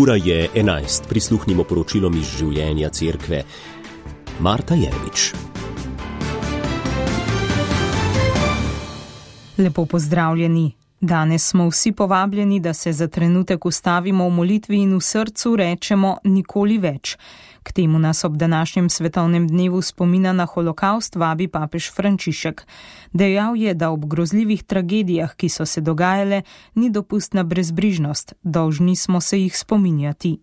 Ura je 11, prisluhnimo poročilom iz življenja cerkve. Marta Jeremič. Lepo pozdravljeni. Danes smo vsi povabljeni, da se za trenutek ustavimo v molitvi in v srcu rečemo nikoli več. K temu nas ob današnjem svetovnem dnevu spomina na holokaust vabi papež Frančišek. Dejal je, da ob grozljivih tragedijah, ki so se dogajale, ni dopustna brezbrižnost, dolžni smo se jih spominjati.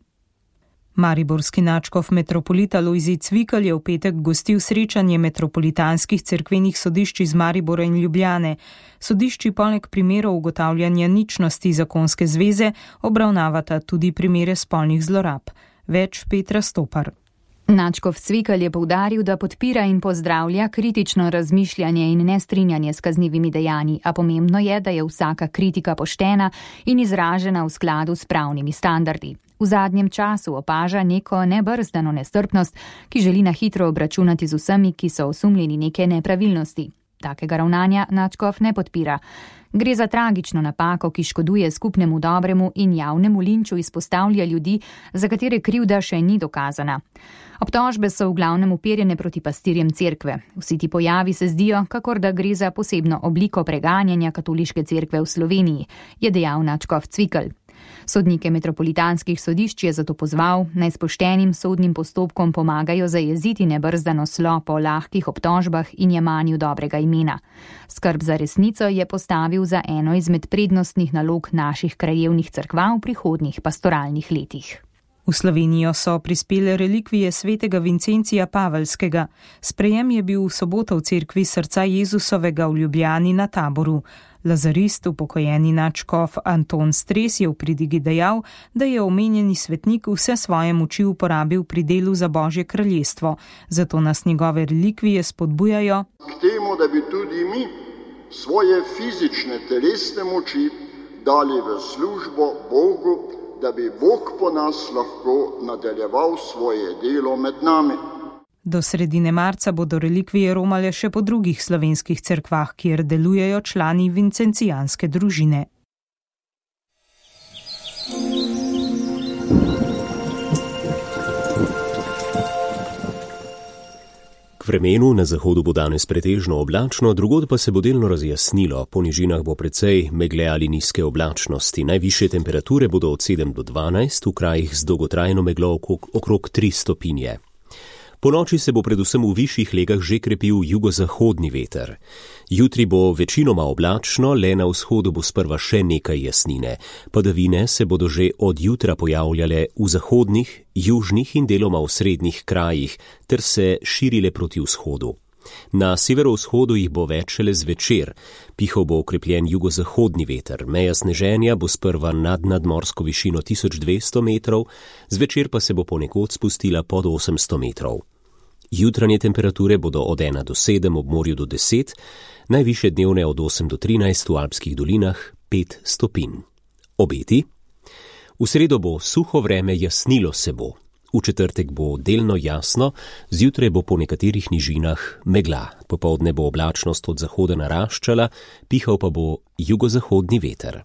Mariborski nadškof metropolita Lojzij Cvikl je v petek gostil srečanje metropolitanskih cerkvenih sodišč iz Maribora in Ljubljane. Sodišči poleg primerov ugotavljanja ničnosti zakonske zveze obravnavata tudi primere spolnih zlorab. Več Petra Stopar. Nadškof Cvikl je poudaril, da podpira in pozdravlja kritično razmišljanje in nestrinjanje s kaznivimi dejanji, a pomembno je, da je vsaka kritika poštena in izražena v skladu s pravnimi standardi. V zadnjem času opaža neko nebrzdano nestrpnost, ki želi na hitro obračunati z vsemi, ki so osumljeni neke nepravilnosti. Takega ravnanja nadškof ne podpira. Gre za tragično napako, ki škoduje skupnemu dobremu in javnemu linču izpostavlja ljudi, za katere krivda še ni dokazana. Obtožbe so v glavnem uperjene proti pastirjem cerkve. Vsi ti pojavi se zdijo, kakor da gre za posebno obliko preganjanja katoliške cerkve v Sloveniji, je dejal nadškof Cvikl. Sodnike metropolitanskih sodišč je zato pozval, naj s poštenim sodnim postopkom pomagajo zajeziti nebrzdano slo po lahkih obtožbah in jemanju dobrega imena. Skrb za resnico je postavil za eno izmed prednostnih nalog naših krajevnih cerkva v prihodnjih pastoralnih letih. V Slovenijo so prispele relikvije svetega Vincencija Paveljskega. Sprejem je bil v soboto v cerkvi Srca Jezusovega v Ljubljani na Taboru. Lazarist, upokojeni nadškof Anton Stres je v pridigi dejal, da je omenjeni svetnik vse svoje moči uporabil pri delu za Božje kraljestvo, zato nas njegove relikvije spodbujajo k temu, da bi tudi mi svoje fizične telesne moči dali v službo Bogu, da bi Bog po nas lahko nadaljeval svoje delo med nami. Do sredine marca bodo relikvije romale še po drugih slovenskih cerkvah, kjer delujejo člani vincencijanske družine. K vremenu na zahodu bo danes pretežno oblačno, drugod pa se bo delno razjasnilo. Po nižinah bo precej megle ali nizke oblačnosti. Najvišje temperature bodo od 7 do 12, v krajih z dolgotrajno meglo okrog 3 stopinje. Po noči se bo predvsem v višjih legah že krepil jugozahodni veter. Jutri bo večinoma oblačno, le na vzhodu bo sprva še nekaj jasnine. Padavine se bodo že od jutra pojavljale v zahodnih, južnih in deloma v srednjih krajih, ter se širile proti vzhodu. Na severovzhodu jih bo več šele zvečer. Pihal bo okrepljen jugozahodni veter. Meja sneženja bo sprva nad nadmorsko višino 1200 metrov, zvečer pa se bo ponekod spustila pod 800 metrov. Jutranje temperature bodo od 1 do 7, ob morju do 10, najvišje dnevne od 8 do 13, v alpskih dolinah 5 stopinj. Obeti? V sredo bo suho vreme, jasnilo se bo. V četrtek bo delno jasno, zjutraj bo po nekaterih nižinah megla. Popoldne bo oblačnost od zahoda naraščala, pihal pa bo jugozahodni veter.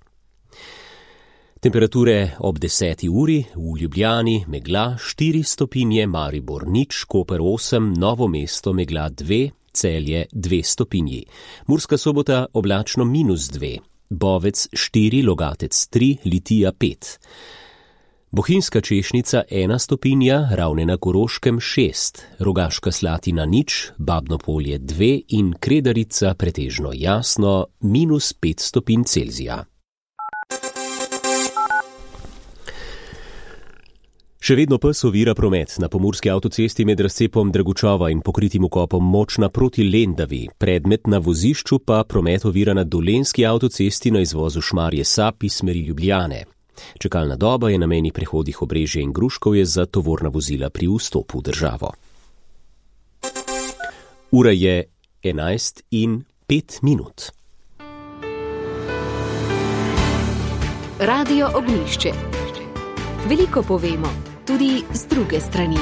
Temperature ob 10. uri, v Ljubljani megla 4 stopinje, Maribor 0, Koper 8, Novo mesto megla 2, Celje 2 stopinji. Murska Sobota oblačno -2, Bovec 4, Logatec 3, Litija 5. Bohinjska Češnica 1 stopinja, Ravne na Koroškem 6, Rogaška Slatina 0, Babno Polje 2 in Kredarica pretežno jasno -5 stopinj Celzija. Še vedno pes ovira promet na pomurski avtocesti med razcepom Dragučova in pokritim vkopom Močna proti Lendavi. Predmet na vozišču pa promet ovira na dolenjski avtocesti na izvozu Šmarje-Sap iz smeri Ljubljane. Čakalna doba je na mejnih prehodih Obrežje in Gruškovje za tovorna vozila pri vstopu v državo. Ura je 11:05. Radio Ognjišče. Veliko povemo, tudi z druge strani.